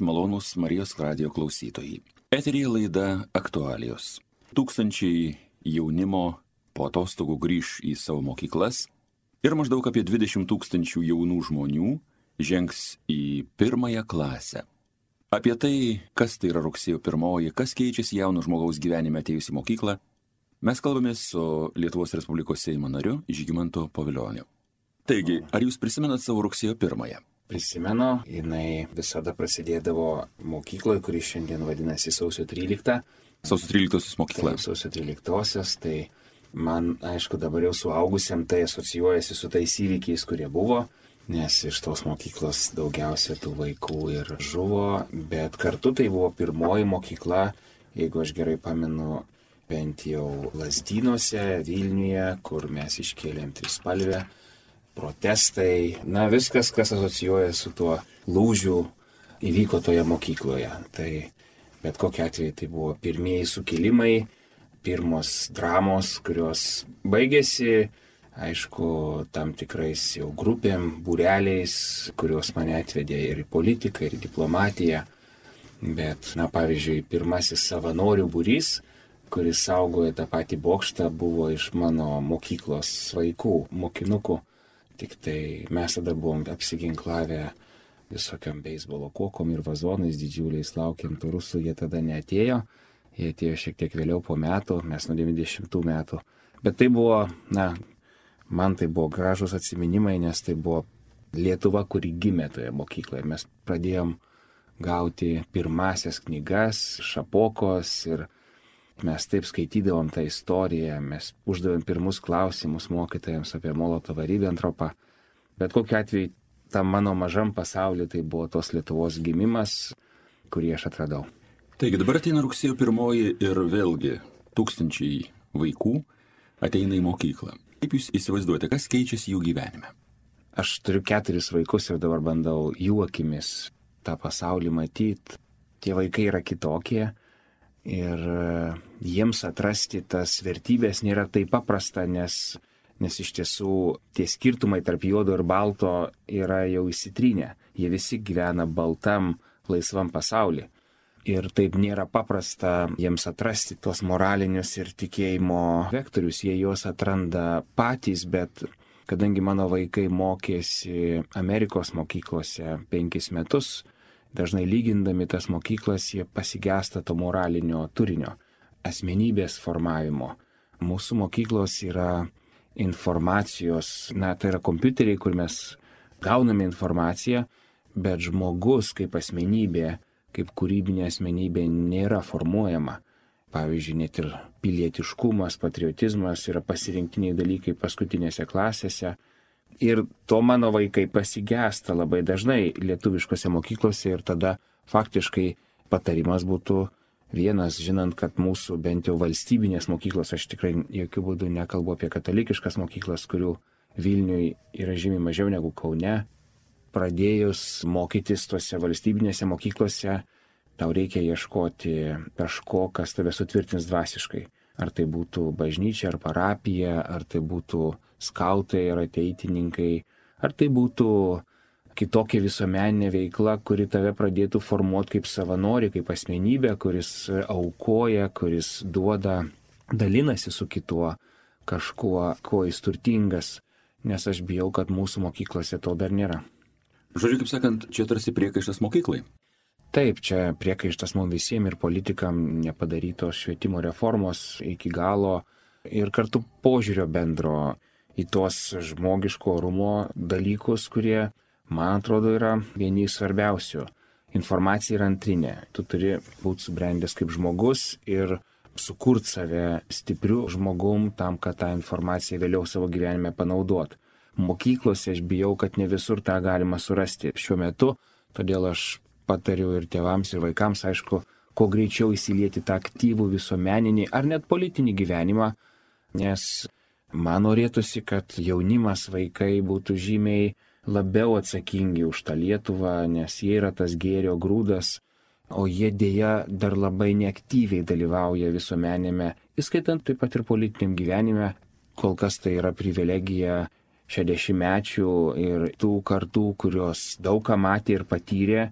malonūs Marijos radijo klausytojai. Eteryje laida Aktualijos. Tūkstančiai jaunimo po atostogų grįš į savo mokyklas ir maždaug apie 20 000 jaunų žmonių žengs į pirmąją klasę. Apie tai, kas tai yra rugsėjo 1, kas keičiasi jauno žmogaus gyvenime atėjus į mokyklą, mes kalbamės su Lietuvos Respublikos Seimo nariu Žygimantu Pavilioniu. Taigi, ar jūs prisimenat savo rugsėjo 1? Prisimenu, jinai visada prasidėdavo mokykloje, kuri šiandien vadinasi sausio 13. Sausio 13 mokykla. Taip, sausio 13, tai man, aišku, dabar jau suaugusiam tai asocijuojasi su tais įvykiais, kurie buvo, nes iš tos mokyklos daugiausia tų vaikų ir žuvo, bet kartu tai buvo pirmoji mokykla, jeigu aš gerai pamenu, bent jau Lazdynuose, Vilniuje, kur mes iškėlėm trispalvę. Protestai, viskas, kas asocijuoja su tuo lūžiu, įvyko toje mokykloje. Tai bet kokiu atveju tai buvo pirmieji sukilimai, pirmos dramos, kurios baigėsi, aišku, tam tikrais jau grupėm, būreliais, kurios mane atvedė ir į politiką, ir į diplomatiją. Bet, pavyzdžiui, pirmasis savanorių būrys, kuris saugojo tą patį bokštą, buvo iš mano mokyklos vaikų, mokinukų. Tik tai mes tada buvom apsiginklavę visokiam beisbolo kokom ir vazonais didžiuliais, laukiant rusų, jie tada neatėjo. Jie atėjo šiek tiek vėliau po metų, mes nuo 90 metų. Bet tai buvo, man tai buvo gražus atsiminimai, nes tai buvo Lietuva, kuri gimė toje mokykloje. Mes pradėjom gauti pirmasias knygas, Šapokos ir mes taip skaitydavom tą istoriją, mes uždavėm pirmus klausimus mokytojams apie Molotovą Ribentropą. Bet kokiu atveju, tam mano mažam pasauliu tai buvo tos Lietuvos gimimas, kurį aš atradau. Taigi dabar ateina rugsėjo 1 ir vėlgi tūkstančiai vaikų ateina į mokyklą. Kaip jūs įsivaizduojate, kas keičiasi jų gyvenime? Aš turiu 4 vaikus ir dabar bandau jų akimis tą pasaulį matyti. Tie vaikai yra kitokie. Ir jiems atrasti tas vertybės nėra taip paprasta, nes iš tiesų tie skirtumai tarp juodo ir balto yra jau įsitrynę. Jie visi gyvena baltam, laisvam pasaulyje. Ir taip nėra paprasta jiems atrasti tuos moralinius ir tikėjimo vektorius. Jie juos atranda patys, bet kadangi mano vaikai mokėsi Amerikos mokyklose 5 metus, dažnai lygindami tas mokyklas, jie pasigesta to moralinio turinio, asmenybės formavimo. Mūsų mokyklos yra informacijos, tai yra kompiuteriai, kur mes gauname informaciją, bet žmogus kaip asmenybė, kaip kūrybinė asmenybė nėra formuojama. Pavyzdžiui, net ir pilietiškumas, patriotizmas yra pasirinktiniai dalykai paskutinėse klasėse. Ir to mano vaikai pasigesta labai dažnai lietuviškose mokyklose ir tada faktiškai patarimas būtų vienas, žinant, kad mūsų bent jau valstybinės mokyklos, aš tikrai jokių būdų nekalbu apie katalikiškas mokyklas, kurių Vilniuje yra žymiai mažiau negu Kaune. Pradėjus mokytis tose valstybinėse mokyklose, tau reikia ieškoti kažko, kas tave sutvirtins dvasiškai. Ar tai būtų bažnyčia, ar parapija, ar tai būtų skautai, ar ateitininkai, ar tai būtų kitokia visuomeninė veikla, kuri tave pradėtų formuoti kaip savanorį, kaip asmenybę, kuris aukoja, kuris duoda, dalinasi su kituo kažkuo, kuo jis turtingas, nes aš bijau, kad mūsų mokyklose to dar nėra. Žodžiu, kaip sakant, čia tarsi priekaištas mokyklai. Taip, čia priekaištas mums visiems ir politikam nepadarytos švietimo reformos iki galo ir kartu požiūrio bendro į tuos žmogiško orumo dalykus, kurie, man atrodo, yra vieni svarbiausių. Informacija yra antrinė. Tu turi būti subrendęs kaip žmogus ir sukurti save stipriu žmogum tam, kad tą informaciją vėliau savo gyvenime panaudot. Mokyklose aš bijau, kad ne visur tą galima surasti šiuo metu, todėl aš patariu ir tėvams, ir vaikams, aišku, kuo greičiau įsilieti tą aktyvų visuomeninį ar net politinį gyvenimą, nes man norėtųsi, kad jaunimas, vaikai būtų žymiai labiau atsakingi už tą Lietuvą, nes jie yra tas gėrio grūdas, o jie dėja dar labai neaktyviai dalyvauja visuomenėme, įskaitant taip pat ir politiniam gyvenime. Kol kas tai yra privilegija 60-mečių ir tų kartų, kurios daug ką matė ir patyrė,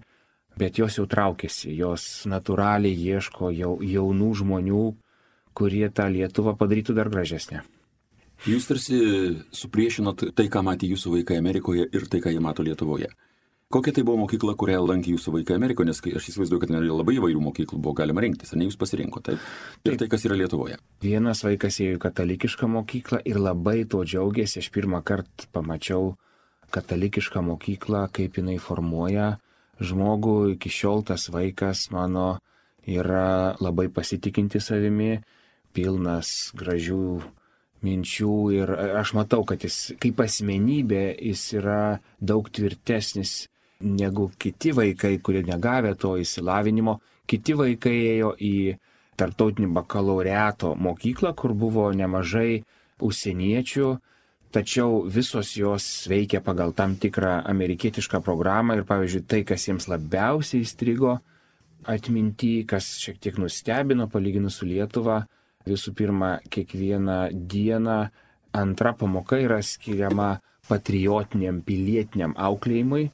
bet jos jau traukiasi, jos natūraliai ieško jaunų žmonių, kurie tą Lietuvą padarytų dar gražesnę. Jūs tarsi supriešinot tai, ką matė jūsų vaikai Amerikoje ir tai, ką jie mato Lietuvoje. Kokia tai buvo mokykla, kurią lankė jūsų vaikai Amerikoje, nes aš įsivaizduoju, kad labai įvairių mokyklų buvo galima rinktis, ar ne jūs pasirinkote, taip? Ir tai, kas yra Lietuvoje. Vienas vaikas ėjo į katalikišką mokyklą ir labai to džiaugiasi. Aš pirmą kartą pamačiau katalikišką mokyklą, kaip jinai formuoja žmogų. Iki šiol tas vaikas mano yra labai pasitikinti savimi, pilnas gražių minčių ir aš matau, kad jis kaip asmenybė jis yra daug tvirtesnis negu kiti vaikai, kurie negavę to išsilavinimo. Kiti vaikai ėjo į tarptautinį bakalaureato mokyklą, kur buvo nemažai užsieniečių, tačiau visos jos veikia pagal tam tikrą amerikietišką programą ir, pavyzdžiui, tai, kas jiems labiausiai įstrigo atminty, kas šiek tiek nustebino palyginus su Lietuva, visų pirma, kiekvieną dieną antra pamoka yra skiriama patriotiniam, pilietiniam auklėjimui,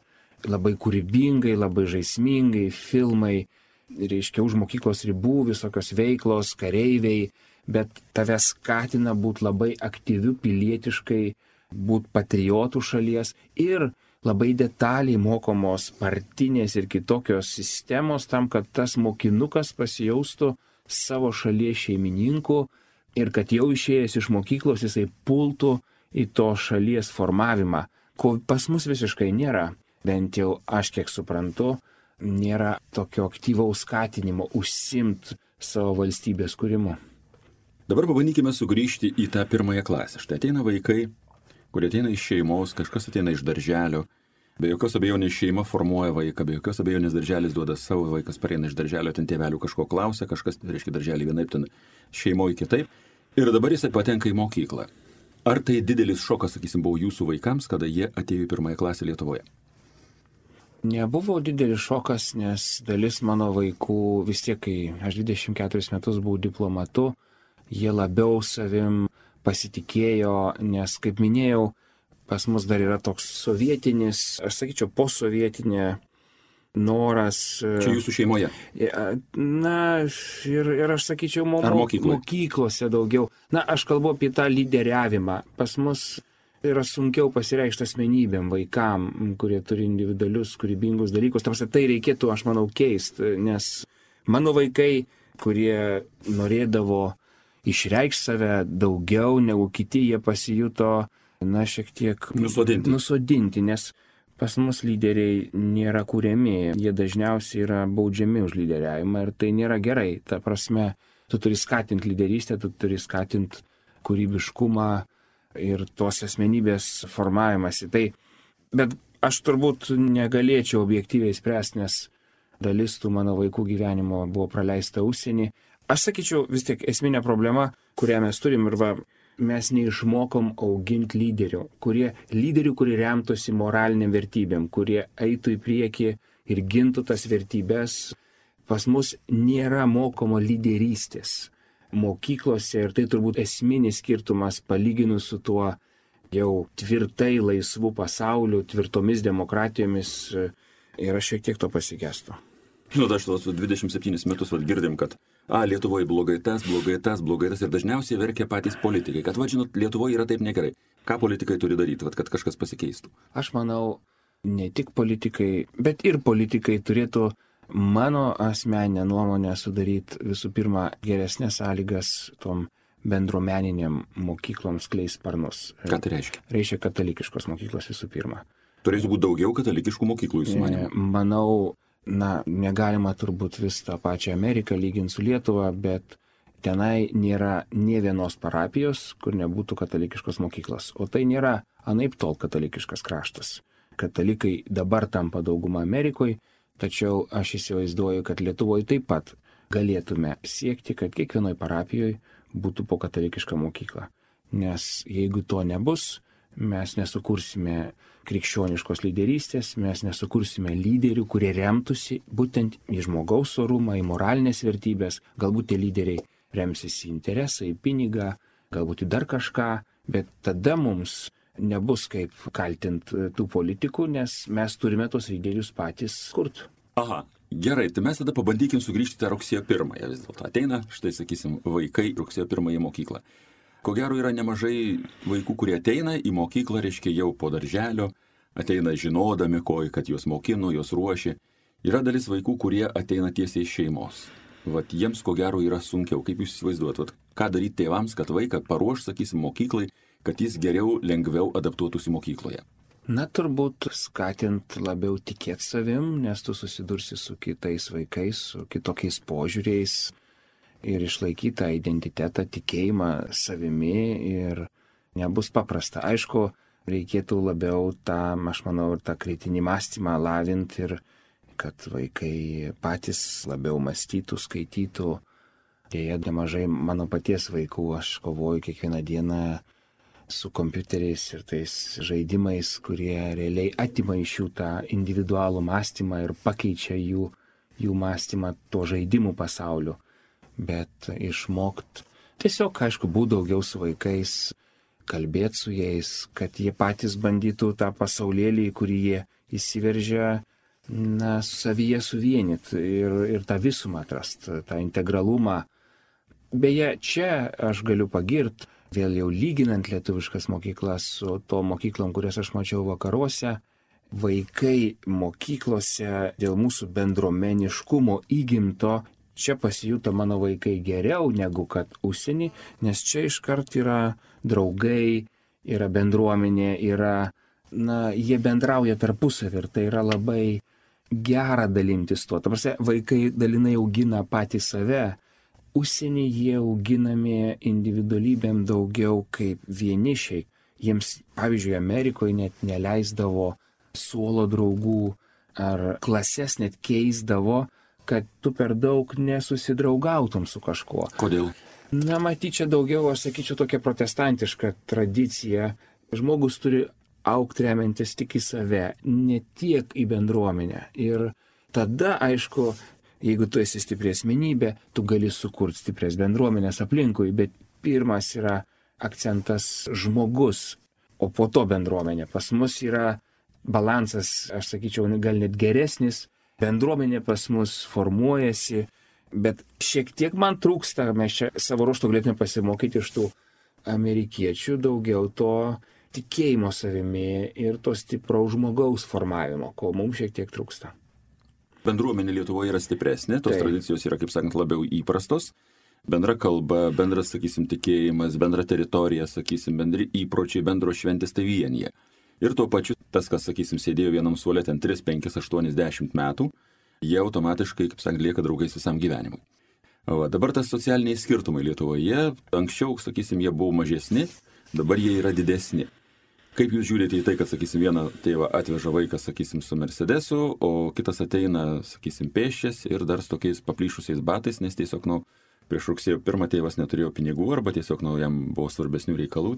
labai kūrybingai, labai žaismingai, filmai, reiškia už mokyklos ribų, visokios veiklos, kareiviai, bet tave skatina būti labai aktyviu pilietiškai, būti patriotų šalies ir labai detaliai mokomos partinės ir kitokios sistemos tam, kad tas mokinukas pasijaustų savo šalies šeimininku ir kad jau išėjęs iš mokyklos jisai pultų į to šalies formavimą, ko pas mus visiškai nėra. Bent jau aš kiek suprantu, nėra tokio aktyvaus skatinimo užsiimti savo valstybės kūrimu. Dabar pabandykime sugrįžti į tą pirmąją klasę. Štai ateina vaikai, kurie ateina iš šeimos, kažkas ateina iš darželio. Be jokios abejonės šeima formuoja vaiką, be jokios abejonės darželis duoda savo, vaikas pareina iš darželio, ten tėvelių kažko klausia, kažkas, reiškia, darželį vienaip, ten šeimoje kitaip. Ir dabar jisai patenka į mokyklą. Ar tai didelis šokas, sakysim, buvo jūsų vaikams, kada jie atėjo į pirmąją klasę Lietuvoje? Nebuvo didelis šokas, nes dalis mano vaikų vis tiek, kai aš 24 metus buvau diplomatu, jie labiau savim pasitikėjo, nes, kaip minėjau, pas mus dar yra toks sovietinis, aš sakyčiau, posovietinė noras. Čia jūsų šeimoje? Na, ir aš sakyčiau, mokyklose daugiau. Na, aš kalbu apie tą lyderiavimą. Pas mus yra sunkiau pasireikšti asmenybėm, vaikam, kurie turi individualius, kūrybingus dalykus. Tai reikėtų, aš manau, keisti, nes mano vaikai, kurie norėdavo išreikšti save daugiau negu kiti, jie pasijuto, na, šiek tiek nusodinti, nes pas mus lyderiai nėra kūriami, jie dažniausiai yra baudžiami už lyderiavimą ir tai nėra gerai. Ta prasme, tu turi skatinti lyderystę, tu turi skatinti kūrybiškumą ir tos asmenybės formavimąsi. Bet aš turbūt negalėčiau objektyviai spręsti, nes dalis tų mano vaikų gyvenimo buvo praleista užsienį. Aš sakyčiau, vis tiek esminė problema, kurią mes turim ir mes neišmokom auginti lyderių, kurie remtųsi moraliniam vertybėm, kurie eitų į priekį ir gintų tas vertybės. Pas mus nėra mokoma lyderystės mokyklose ir tai turbūt esminis skirtumas palyginus su tuo jau tvirtai laisvų pasauliu, tvirtomis demokratijomis ir aš šiek tiek to pasigestu. Aš su 27 metus girdim, kad Lietuvoje blogai tas ir dažniausiai verkia patys politikai, kad, žinot, Lietuvoje yra taip negerai. Ką politikai turi daryti, kad kažkas pasikeistų? Aš manau, ne tik politikai, bet ir politikai turėtų mano asmeninę nuomonę sudaryti visų pirma geresnės sąlygas tom bendruomeniniam mokykloms skleist sparnus. Ką tai reiškia? Reiškia katalikiškos mokyklos visų pirma. Turėtų būti daugiau katalikiškų mokyklų, jūsų manymu? Manau, negalima turbūt vis tą pačią Ameriką lyginti su Lietuva, bet tenai nėra nė vienos parapijos, kur nebūtų katalikiškos mokyklos. O tai nėra anaip tol katalikiškas kraštas. Katalikai dabar tampa dauguma Amerikoje, tačiau aš įsivaizduoju, kad Lietuvoje taip pat galėtume siekti, kad kiekvienoj parapijoje būtų po katalikišką mokyklą. Nes jeigu to nebus, mes nesukursime krikščioniškos lyderystės, mes nesukursime lyderių, kurie remtųsi būtent į žmogaus orumą, į moralinės vertybės. Galbūt tie lyderiai remsis į interesą, į pinigą, galbūt į dar kažką, bet tada mums nebus kaip kaltinti tų politikų, nes mes turime tos lyderius patys kurti. Aha, gerai, tai mes tada pabandykim sugrįžti tą rugsėjo 1 vis dėlto. Ateina, štai sakysim, vaikai rugsėjo 1 į mokyklą. Ko gero yra nemažai vaikų, kurie ateina į mokyklą, reiškia jau po darželio, ateina žinodami, kad juos mokino, juos ruošė. Yra dalis vaikų, kurie ateina tiesiai iš šeimos. Vat jiems ko gero yra sunkiau. Kaip jūs įsivaizduojat, vat, ką daryti tėvams, kad vaiką paruoš, sakysim, mokyklai, kad jis geriau, lengviau adaptuotųsi mokykloje? Na, turbūt skatint labiau tikėti savim, nes tu susidursi su kitais vaikais, su kitokiais požiūriais ir išlaikyti tą identitetą, tikėjimą savimi ir nebus paprasta. Aišku, reikėtų labiau tą, aš manau, ir tą kritinį mąstymą lavinti ir kad vaikai patys labiau mąstytų, skaitytų. Dėja, nemažai mano paties vaikų, aš kovoju kiekvieną dieną su kompiuteriais ir tais žaidimais, kurie realiai atima iš jų tą individualų mąstymą ir pakeičia jų mąstymą to žaidimų pasauliu. Bet išmokt tiesiog, aišku, būti daugiau su vaikais, kalbėti su jais, kad jie patys bandytų tą pasaulėlį, į kurį jie įsiveržia, savyje suvienyti ir tą visumą atrasti, tą integralumą. Beje, čia aš galiu pagirti, vėl jau lyginant lietuviškas mokyklas su to mokyklom, kurias aš mačiau vakaruose, vaikai mokyklose dėl mūsų bendruomeniškumo įgimto, čia pasijuto mano vaikai geriau negu kad užsienį, nes čia iškart yra draugai, yra bendruomenė, jie bendrauja tarpusavį ir tai yra labai gera dalintis tuo. Ta prasme, vaikai dalinai augina patį save. Užsienį jie auginami individualybėm daugiau kaip vienišiai. Jiems, pavyzdžiui, Amerikoje net neleisdavo suolo draugų ar klases net keisdavo, kad tu per daug nesusidraugautum su kažkuo. Kodėl? Matyt, čia daugiau, aš sakyčiau, tokia protestantiška tradicija. Žmogus turi augti remiantis tik į save, ne tiek į bendruomenę. Ir tada, aišku, jeigu tu esi stipri asmenybė, tu gali sukurti stiprias bendruomenės aplinkui, bet pirmas yra akcentas žmogus, o po to bendruomenė. Pas mus yra balansas, aš sakyčiau, gal net geresnis, bendruomenė pas mus formuojasi, bet šiek tiek man trūksta, mes čia savo ruožtu galėtume pasimokyti iš tų amerikiečių daugiau to tikėjimo savimi ir to stipraus žmogaus formavimo, ko mums šiek tiek trūksta. Bendruomenė Lietuvoje yra stipresnė, tos tradicijos yra, kaip sakant, labiau įprastos. Bendra kalba, bendras, sakysim, tikėjimas, bendra teritorija, sakysim, bendri įpročiai, bendros šventės tai vienyje. Ir tuo pačiu tas, kas, sakysim, sėdėjo vienam suole ten 3, 5, 8, 10 metų, jie automatiškai, kaip sakant, lieka draugais visam gyvenimui. Dabar tas socialiniai skirtumai Lietuvoje, anksčiau, sakysim, jie buvo mažesni, dabar jie yra didesni. Kaip jūs žiūrite į tai, kad, sakysim, vieną tėvą atveža vaikas, sakysim, su Mercedesu, o kitas ateina, sakysim, pėsčias ir dar su tokiais paplyšusiais batais, nes tiesiog, prieš rugsėjo 1 tėvas neturėjo pinigų arba tiesiog, jam buvo svarbesnių reikalų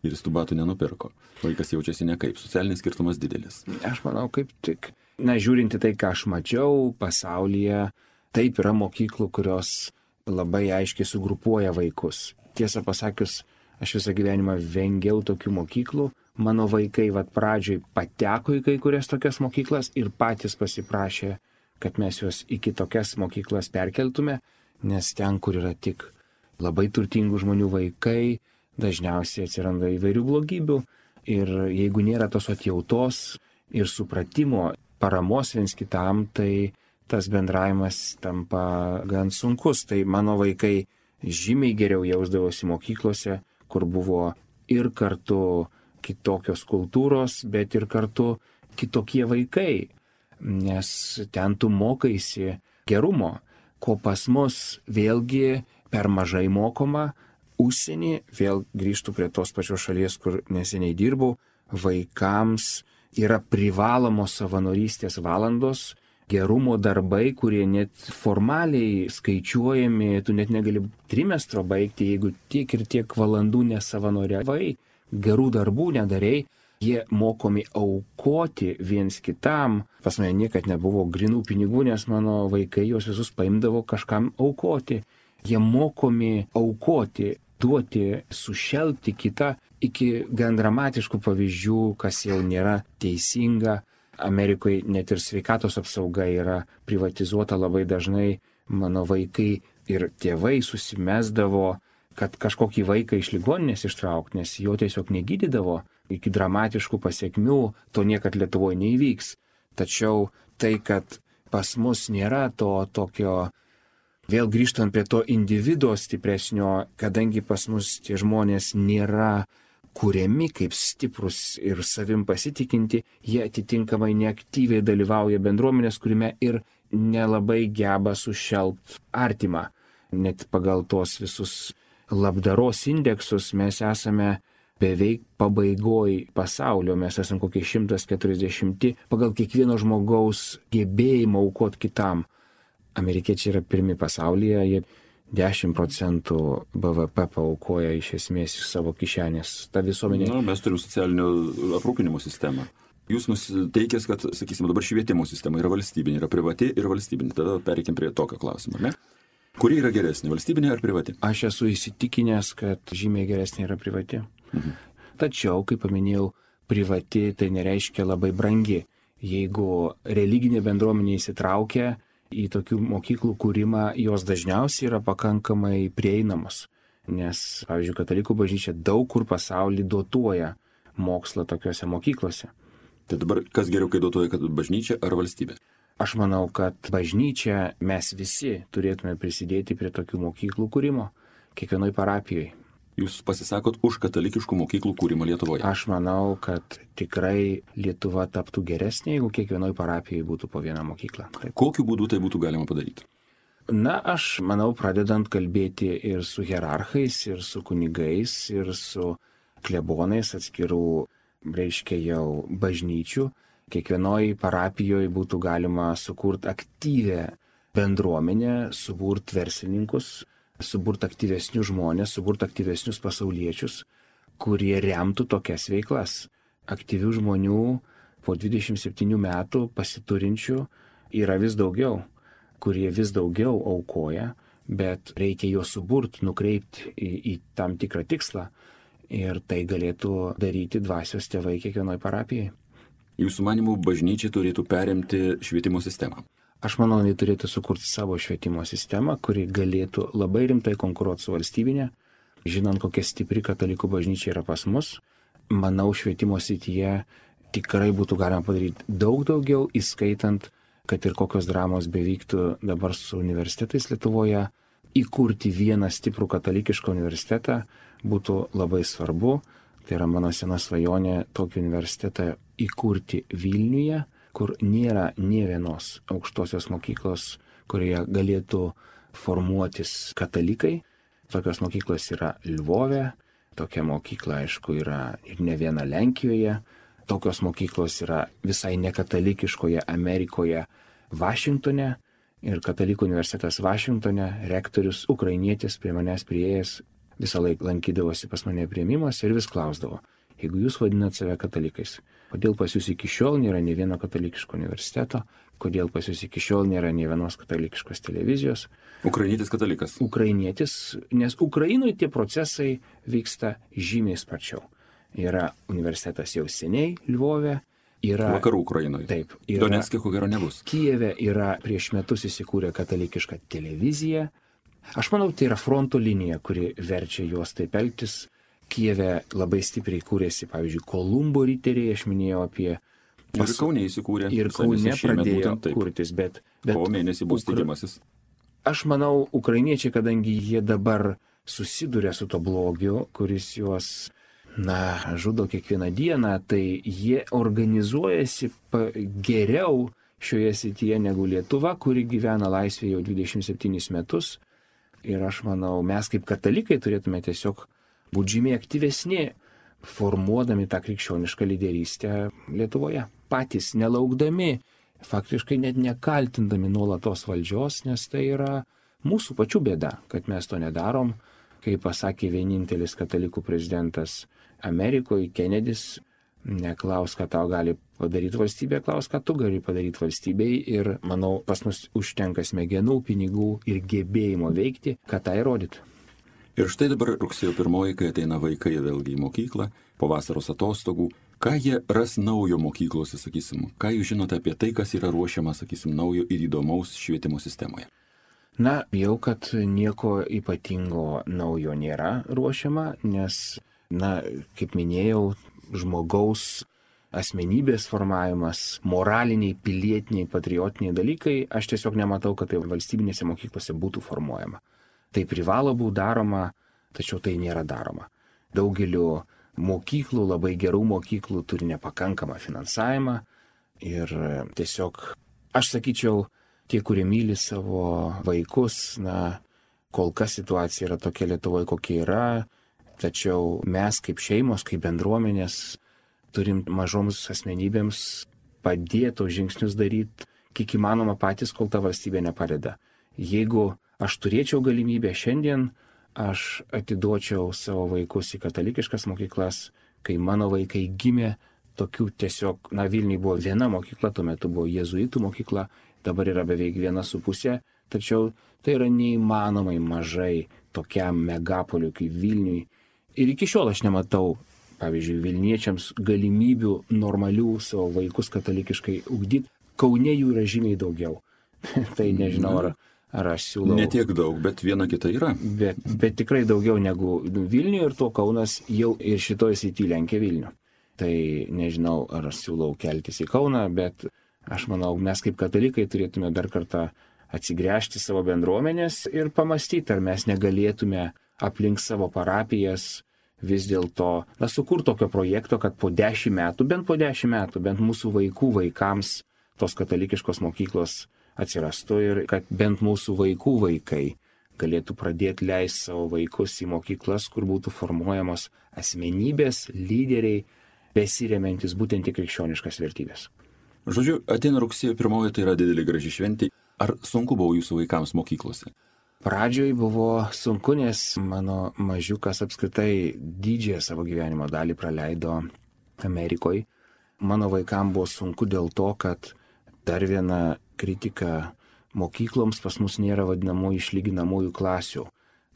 ir jis tų batų nenupirko. Vaikas jaučiasi nekaip, socialinis skirtumas didelis. Aš manau, kaip tik, žiūrinti tai, ką aš mačiau pasaulyje, taip yra mokyklų, kurios labai aiškiai sugrupuoja vaikus. Tiesą pasakius, aš visą gyvenimą vengiau tokių mokyklų. Mano vaikai pradžioj pateko į kai kurias tokias mokyklas ir patys pasiprašė, kad mes juos į kitokias mokyklas perkeltume, nes ten, kur yra tik labai turtingų žmonių vaikai, dažniausiai atsiranda įvairių blogybių ir jeigu nėra tos atjautos ir supratimo, paramos viens kitam, tai tas bendravimas tampa gan sunkus. Tai mano vaikai žymiai geriau jausdavosi mokyklose, kur buvo ir kartu kitokios kultūros, bet ir kartu kitokie vaikai, nes ten tu mokaisi gerumo, ko pas mus vėlgi per mažai mokoma. Užsienį, vėl grįžtų prie tos pačios šalies, kur neseniai dirbau, vaikams yra privalomos savanorystės valandos, gerumo darbai, kurie net formaliai skaičiuojami, tu net negali trimestro baigti, jeigu tiek ir tiek valandų nesavanoriavai, gerų darbų nedarei, jie mokomi aukoti viens kitam. Pas mane niekad nebuvo grinų pinigų, nes mano vaikai juos visus paimdavo kažkam aukoti. Jie mokomi aukoti, duoti, sušelpti kitą iki gan dramatiškų pavyzdžių, kas jau nėra teisinga. Amerikoje net ir sveikatos apsauga yra privatizuota labai dažnai. Mano vaikai ir tėvai susimesdavo, kad kažkokį vaiką iš ligoninės ištraukti, nes jo tiesiog negydydavo iki dramatiškų pasiekmių, to niekad Lietuvoje neįvyks. Tačiau tai, kad pas mus nėra to tokio, vėl grįžtant prie to individo stipresnio, kadangi pas mus tie žmonės nėra kuriami kaip stiprus ir savim pasitikinti, jie atitinkamai neaktyviai dalyvauja bendruomenės kūrime ir nelabai geba sušelpt artimą. Net pagal tos visus labdaros indeksus mes esame beveik pabaigoj pasaulio, mes esame kokie 140 pagal kiekvieno žmogaus gebėjimą aukot kitam. Amerikiečiai yra pirmi pasaulyje, jie 10% BVP paaukoja iš esmės iš savo kišenės. Ta visuomenė. Mes turime socialinio aprūpinimo sistemą. Jūs nusiteikęs, kad, sakysime, dabar švietimo sistema yra valstybinė, yra privati ir valstybinė. Tada pereikim prie tokio klausimo, ne? Kuri yra geresnė, valstybinė ar privati? Aš esu įsitikinęs, kad žymiai geresnė yra privati. Tačiau, kaip paminėjau, privati tai nereiškia labai brangi. Jeigu religinė bendruomenė įsitraukia į tokių mokyklų kūrimą, jos dažniausiai yra pakankamai prieinamos. Nes, pavyzdžiui, katalikų bažnyčia daug kur pasaulyje dotuoja mokslą tokiuose mokyklose. Tai dabar kas geriau, kai dotuoja, kad bažnyčia ar valstybė? Aš manau, kad bažnyčia mes visi turėtume prisidėti prie tokių mokyklų kūrimo kiekvienoj parapijoje. Jūs pasisakot už katalikiškų mokyklų kūrimą Lietuvoje? Aš manau, kad tikrai Lietuva taptų geresnė, jeigu kiekvienoj parapijoje būtų po vieną mokyklą. Taip. Kokiu būdu tai būtų galima padaryti? Na, aš manau, pradedant kalbėti ir su hierarchais, ir su kunigais, ir su klebonais atskirų, reiškia jau bažnyčių, kiekvienoj parapijoje būtų galima sukurti aktyvę bendruomenę, suburti verslininkus, suburti aktyvesnius žmonės, suburti aktyvesnius pasauliečius, kurie remtų tokias veiklas. Aktyvių žmonių po 27 metų pasiturinčių yra vis daugiau, kurie vis daugiau aukoja, bet reikia juos suburti, nukreipti į tam tikrą tikslą ir tai galėtų daryti dvasios tėvai kiekvienoj parapijai. Jūsų manimų bažnyčia turėtų perimti švietimo sistemą? Aš manau, jie turėtų sukurti savo švietimo sistemą, kuri galėtų labai rimtai konkuruoti su valstybinė. Žinant, kokia stipri katalikų bažnyčia yra pas mus, manau, švietimo srityje tikrai būtų galima padaryti daug daugiau, įskaitant, kad ir kokios dramos bevyktų dabar su universitetais Lietuvoje, įkurti vieną stiprų katalikišką universitetą būtų labai svarbu. Tai yra mano sena svajonė tokį universitetą įkurti Vilniuje, kur nėra nė vienos aukštosios mokyklos, kurioje galėtų formuotis katalikai. Tokios mokyklos yra Lvove, tokia mokykla, aišku, yra ir ne viena Lenkijoje. Tokios mokyklos yra visai nekatalikiškoje Amerikoje, Vašingtone. Ir katalikų universitetas Vašingtone, rektorius ukrainietis prie manęs priėjęs, visą laiką lankydavosi pas mane priėmimas ir vis klausdavo, jeigu jūs vadinat save katalikais, kodėl pas jūs iki šiol nėra nė vieno katalikiško universiteto, kodėl pas jūs iki šiol nėra nė vienos katalikiškos televizijos. Ukrainietis katalikas. Ukrainietis, nes Ukrainoje tie procesai vyksta žymiai sparčiau. Yra universitetas jau seniai Lvove. Yra, vakarų Ukrainoje. Taip. Donecke ko gero nebus. Kijeve yra prieš metus įsikūrė katalikiška televizija. Aš manau, tai yra fronto linija, kuri verčia juos taip elgtis. Kijeve labai stipriai kūrėsi, pavyzdžiui, Kolumbo riteriai, aš minėjau apie... Ir Kaune įsikūrė. Ir Kaune pradėjo kurtis, bet... Kovo mėnesį bus tikimasis. Aš manau, ukrainiečiai, kadangi jie dabar susiduria su to blogiu, kuris juos... žudo kiekvieną dieną, tai jie organizuojasi geriau šioje srityje negu Lietuva, kuri gyvena laisvėje jau 27 metus. Ir aš manau, mes kaip katalikai turėtume tiesiog būti žymiai aktyvesni, formuodami tą krikščionišką lyderystę Lietuvoje. Patys nelaukdami, faktiškai net nekaltindami nuolatos valdžios, nes tai yra mūsų pačių bėda, kad mes to nedarom. Kaip pasakė vienintelis katalikų prezidentas Amerikoje, Kennedys, neklaus, ką tau gali padaryti valstybė, klaus, ką tu gali padaryti valstybei. Ir manau, pas mus užtenka smegenų, pinigų ir gebėjimo veikti, kad tai įrodyti. Ir štai dabar rugsėjo 1, kai ateina vaikai vėlgi į mokyklą, po vasaros atostogų, Ką jie ras naujo mokyklose, sakysim? Ką jūs žinote apie tai, kas yra ruošiama, sakysim, naujo ir įdomaus švietimo sistemoje? Na, jau kad nieko ypatingo naujo nėra ruošiama, nes, kaip minėjau, žmogaus asmenybės formavimas, moraliniai, pilietiniai, patriotiniai dalykai, aš tiesiog nematau, kad tai valstybinėse mokyklose būtų formuojama. Tai privalo būti daroma, tačiau tai nėra daroma. Daugeliu mokyklų, labai gerų mokyklų turi nepakankamą finansavimą ir tiesiog, aš sakyčiau, tie, kurie myli savo vaikus, kol kas situacija yra tokia Lietuvoje, kokia yra, tačiau mes kaip šeimos, kaip bendruomenės turim mažoms asmenybėms padėti žingsnius daryti, kiek įmanoma patys, kol ta valstybė nepadeda. Jeigu aš turėčiau galimybę šiandien, aš atiduočiau savo vaikus į katalikiškas mokyklas, kai mano vaikai gimė, tokių tiesiog, Vilniuje buvo viena mokykla, tuo metu buvo jėzuitų mokykla, dabar yra beveik 1,5, tačiau tai yra neįmanomai mažai tokiam megapoliui kaip Vilniui. Ir iki šiol aš nematau, pavyzdžiui, Vilniečiams galimybių normalių savo vaikus katalikiškai ugdyti. Kaune jų yra žymiai daugiau. Tai nežinau, ar aš siūlau. Ne tiek daug, bet viena kita yra. Bet tikrai daugiau negu Vilniuje ir to Kaunas jau ir šitoje srityje lenkia Vilnių. Tai nežinau, ar aš siūlau keltis į Kauną, bet aš manau, mes kaip katalikai turėtume dar kartą atsigręžti savo bendruomenės ir pamastyti, ar mes negalėtume aplink savo parapijas vis dėlto sukurti tokio projekto, kad po 10 metų, bent mūsų vaikų vaikams tos katalikiškos mokyklos atsirastų ir kad bent mūsų vaikų vaikai galėtų pradėti leisti savo vaikus į mokyklas, kur būtų formuojamos asmenybės, lyderiai, besiremiantis būtent į krikščioniškas vertybės. Žodžiu, ateina rugsėjo 1, tai yra didelė graži šventė. Ar sunku buvo jūsų vaikams mokyklose? Pradžioj buvo sunku, nes mano mažiukas apskritai didžiąją savo gyvenimo dalį praleido Amerikoje. Mano vaikams buvo sunku dėl to, kad dar viena kritika mokykloms, pas mus nėra vadinamųjų išlyginamųjų klasių.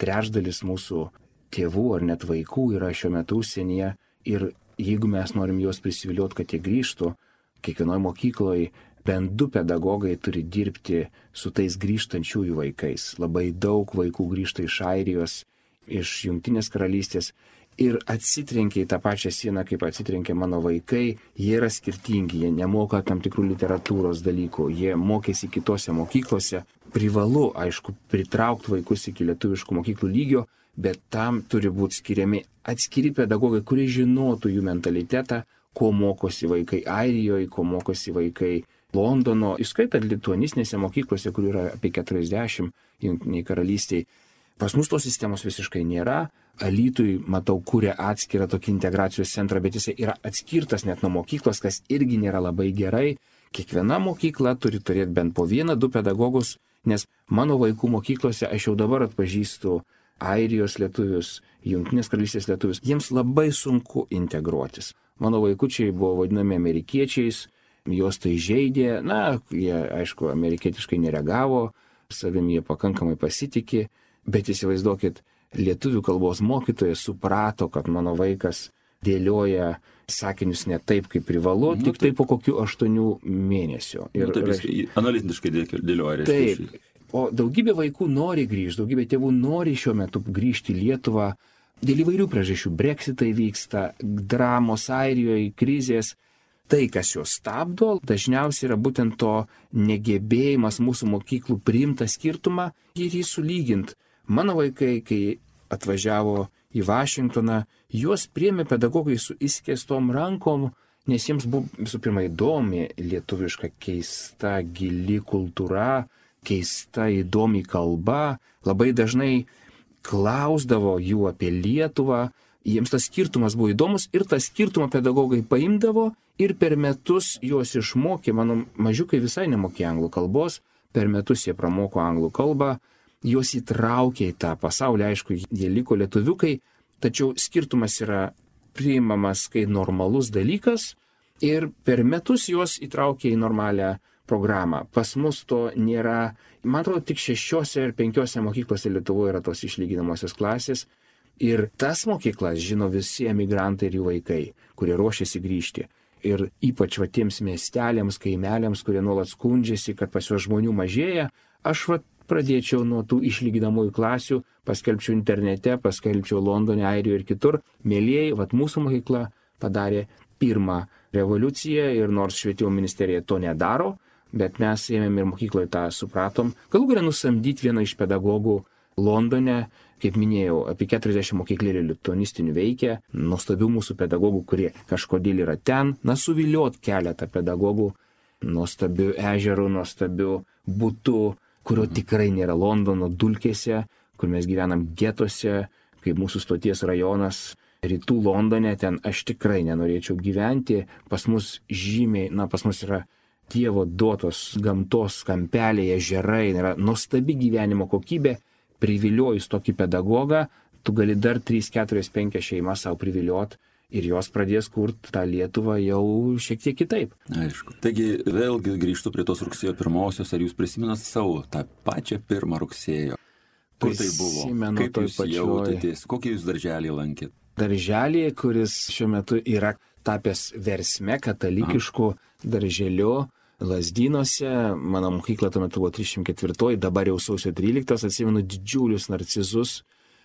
Trečdalis mūsų tėvų ar net vaikų yra šiuo metu užsienyje ir jeigu mes norim juos prisivilioti, kad jie grįžtų, kiekvienoje mokykloje bent 2 pedagogai turi dirbti su tais grįžtančiųjų vaikais. Labai daug vaikų grįžta iš Airijos, iš Jungtinės karalystės ir atsitrenkia į tą pačią sieną, kaip atsitrenkia mano vaikai. Jie yra skirtingi, jie nemoka tam tikrų literatūros dalykų, jie mokėsi kitose mokyklose. Privalu, aišku, pritraukti vaikus iki lietuviškų mokyklų lygio, bet tam turi būti skiriami atskiri pedagogai, kurie žinotų jų mentalitetą, ko mokosi vaikai Airijoje, ko mokosi vaikai Londono, įskaitant lituanistinėse mokyklose, kur yra apie 40 Jungtiniai karalystiai. Pas mus tos sistemos visiškai nėra. Alytui, matau, kuria atskirą tokį integracijos centrą, bet jisai yra atskirtas net nuo mokyklos, kas irgi nėra labai gerai. Kiekviena mokykla turi turėti bent po 1-2 pedagogus, nes mano vaikų mokyklose aš jau dabar atpažįstu Airijos lietuvius, Jungtinės karalystės lietuvius. Jiems labai sunku integruotis. Mano vaikučiai buvo vadinami amerikiečiais, juos tai žeidė, jie, aišku, amerikietiškai nereagavo, savim jie pakankamai pasitikė, bet įsivaizduokit, lietuvių kalbos mokytojas suprato, kad mano vaikas dėlioja sakinius ne taip, kaip privalu, tik tai po kokių 8 mėnesių. Ir analitiškai dėlioja. Taip, o daugybė vaikų nori grįžti, daugybė tėvų nori šiuo metu grįžti į Lietuvą. Dėl įvairių priežasčių, Brexitai vyksta, dramos Airijoje, krizės. Tai, kas juos stabdo, dažniausiai yra būtent to negebėjimas mūsų mokyklų priimti skirtumą ir jį sulyginti. Mano vaikai, kai atvažiavo į Vašingtoną, juos priėmė pedagogai su išskėstom rankom, nes jiems buvo visų pirma įdomi lietuviška keista, gili kultūra, keista, įdomi kalba. Labai dažnai klausdavo jų apie Lietuvą. Jiems tas skirtumas buvo įdomus ir tą skirtumą pedagogai paimdavo ir per metus juos išmokė. Mano mažiukai visai nemokė anglų kalbos, per metus jie pramoko anglų kalbą, juos įtraukė į tą pasaulį, aišku, jie liko lietuviukai, tačiau skirtumas yra priimamas kaip normalus dalykas ir per metus juos įtraukė į normalią programą. Pas mus to nėra, man atrodo, tik 6 ar 5 mokyklose Lietuvoje yra tos išlyginamosios klasės. Ir tas mokyklas žino visi emigrantai ir jų vaikai, kurie ruošiasi grįžti. Ir ypač tiems miesteliams, kaimeliams, kurie nuolat skundžiasi, kad pas juos žmonių mažėja, aš pradėčiau nuo tų išlyginamųjų klasių, paskelbčiau internete, paskelbčiau Londone, Airijoje ir kitur. Mėlieji, mūsų mokykla padarė pirmą revoliuciją ir nors švietimo ministerija to nedaro, bet mes ėmėm ir mokykloje tą supratom. Galų galę nusamdyti vieną iš pedagogų Londone, kaip minėjau, apie 40 mokyklėlių lituanistinių veikia, nuostabių mūsų pedagogų, kurie kažkodėl yra ten, suviliot keletą pedagogų, nuostabių ežerų, nuostabių būtų, kurio tikrai nėra Londono dulkėse, kur mes gyvenam getuose, kaip mūsų stoties rajonas, rytų Londone, ten aš tikrai nenorėčiau gyventi, pas mus žymiai, pas mus yra Dievo duotos gamtos kampeliai, ežerai, yra nuostabi gyvenimo kokybė. Priviliojus tokį pedagogą, tu gali dar 3, 4, 5 šeimas savo priviliot ir jos pradės kurti tą Lietuvą jau šiek tiek kitaip. Aišku. Taigi vėlgi grįžtu prie tos rugsėjo 1-osios, ar jūs prisimenat savo tą pačią 1 rugsėjo? Kur tai buvo? Kaip jūs jautėtės? Kokį jūs darželį lankėt? Darželį, kuris šiuo metu yra tapęs versme katalikišku darželiu. Lazdynuose, mano mokykla tuo metu buvo 304, dabar jau sausio 13, atsimenu didžiulius narcizus,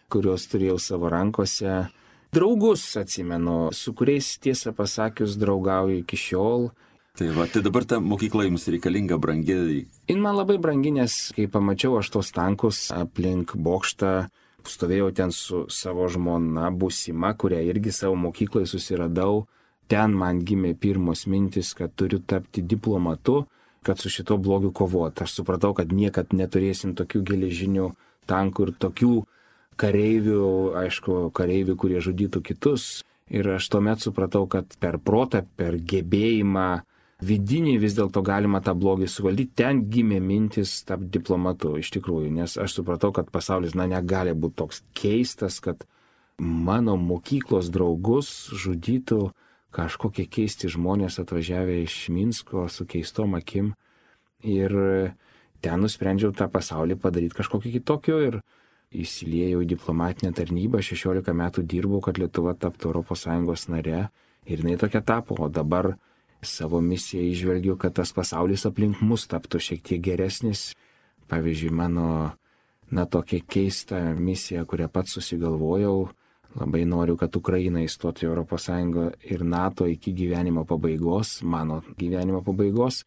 kuriuos turėjau savo rankose. Draugus atsimenu, su kuriais tiesą pasakius draugauju iki šiol. Tai dabar ta mokykla jums reikalinga, brangi. Jin man labai brangi, nes kai pamačiau aš tos tankus aplink bokštą, stovėjau ten su savo žmona būsima, kurią irgi savo mokykloje susiradau. Ten man gimė pirmos mintis, kad turiu tapti diplomatu, kad su šito blogiu kovoti. Aš supratau, kad niekad neturėsim tokių geležinių tankų ir tokių kareivių, aišku, kareivių, kurie žudytų kitus. Ir aš tuomet supratau, kad per protą, per gebėjimą vidinį vis dėlto galima tą blogį suvaldyti. Ten gimė mintis tapti diplomatu iš tikrųjų, nes aš supratau, kad pasaulis negali būti toks keistas, kad mano mokyklos draugus žudytų kažkokie keisti žmonės atvažiavę iš Minsko su keistom akim. Ir ten nusprendžiau tą pasaulį padaryti kažkokį kitokio ir įsiliejau į diplomatinę tarnybą. 16 metų dirbau, kad Lietuva taptų ES nare ir jinai tokia tapo. O dabar savo misiją išvelgiu, kad tas pasaulis aplink mus taptų šiek tiek geresnis. Pavyzdžiui, mano tokia keista misija, kurią pats susigalvojau. Labai noriu, kad Ukraina įstotų į ES ir NATO iki gyvenimo pabaigos, mano gyvenimo pabaigos.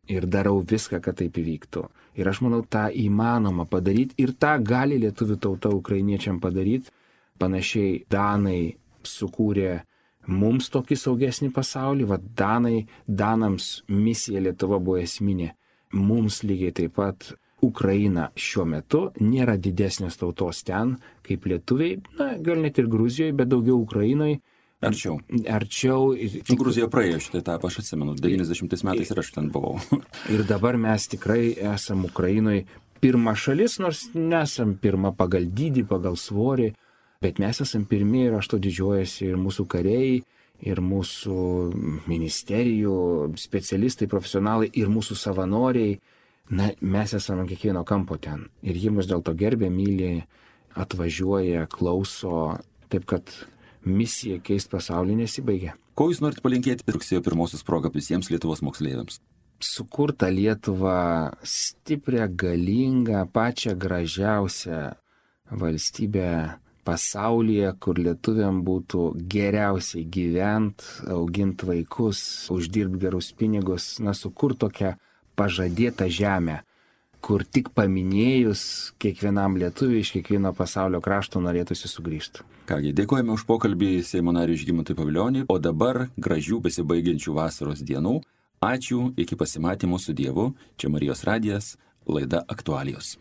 Ir darau viską, kad taip įvyktų. Ir aš manau, tą įmanoma padaryti ir tą gali lietuvių tauta ukrainiečiam padaryti. Panašiai Danai sukūrė mums tokį saugesnį pasaulį. Danams misija Lietuva buvo esminė. Mums lygiai taip pat Ukraina šiuo metu nėra didesnės tautos ten, kaip lietuviai, gal net ir Gruzijoje, bet daugiau Ukrainoje. Arčiau. Gruzija praėjo šitą etapą, aš atsimenu, 90 metais ir aš ten buvau. Ir dabar mes tikrai esam Ukrainoje pirma šalis, nors nesam pirma pagal dydį, pagal svorį, bet mes esam pirmi ir aš to didžiuojasi ir mūsų kariai, ir mūsų ministerijų, specialistai, profesionalai, ir mūsų savanoriai. Mes esame kiekvieno kampo ten. Ir jie mus dėl to gerbė, myli, atvažiuoja, klauso, taip kad misija keist pasaulį nesibaigia. Ko jūs norite palinkėti rugsėjo 1 proga visiems Lietuvos moksleiviams? Sukurtą Lietuvą stiprią, galingą, pačią gražiausią valstybę pasaulyje, kur lietuviam būtų geriausiai gyvent, augint vaikus, uždirbt gerus pinigus, sukurt tokią pažadėtą žemę, kur tik paminėjus kiekvienam lietuviui iš kiekvieno pasaulio krašto norėtųsi sugrįžti. Kągi, dėkojame už pokalbį Seimo nariui Žygimantui Pavilionį, o dabar gražių besibaigiančių vasaros dienų. Ačiū, iki pasimatymo su Dievu. Čia Marijos radijas, laida Aktualijos.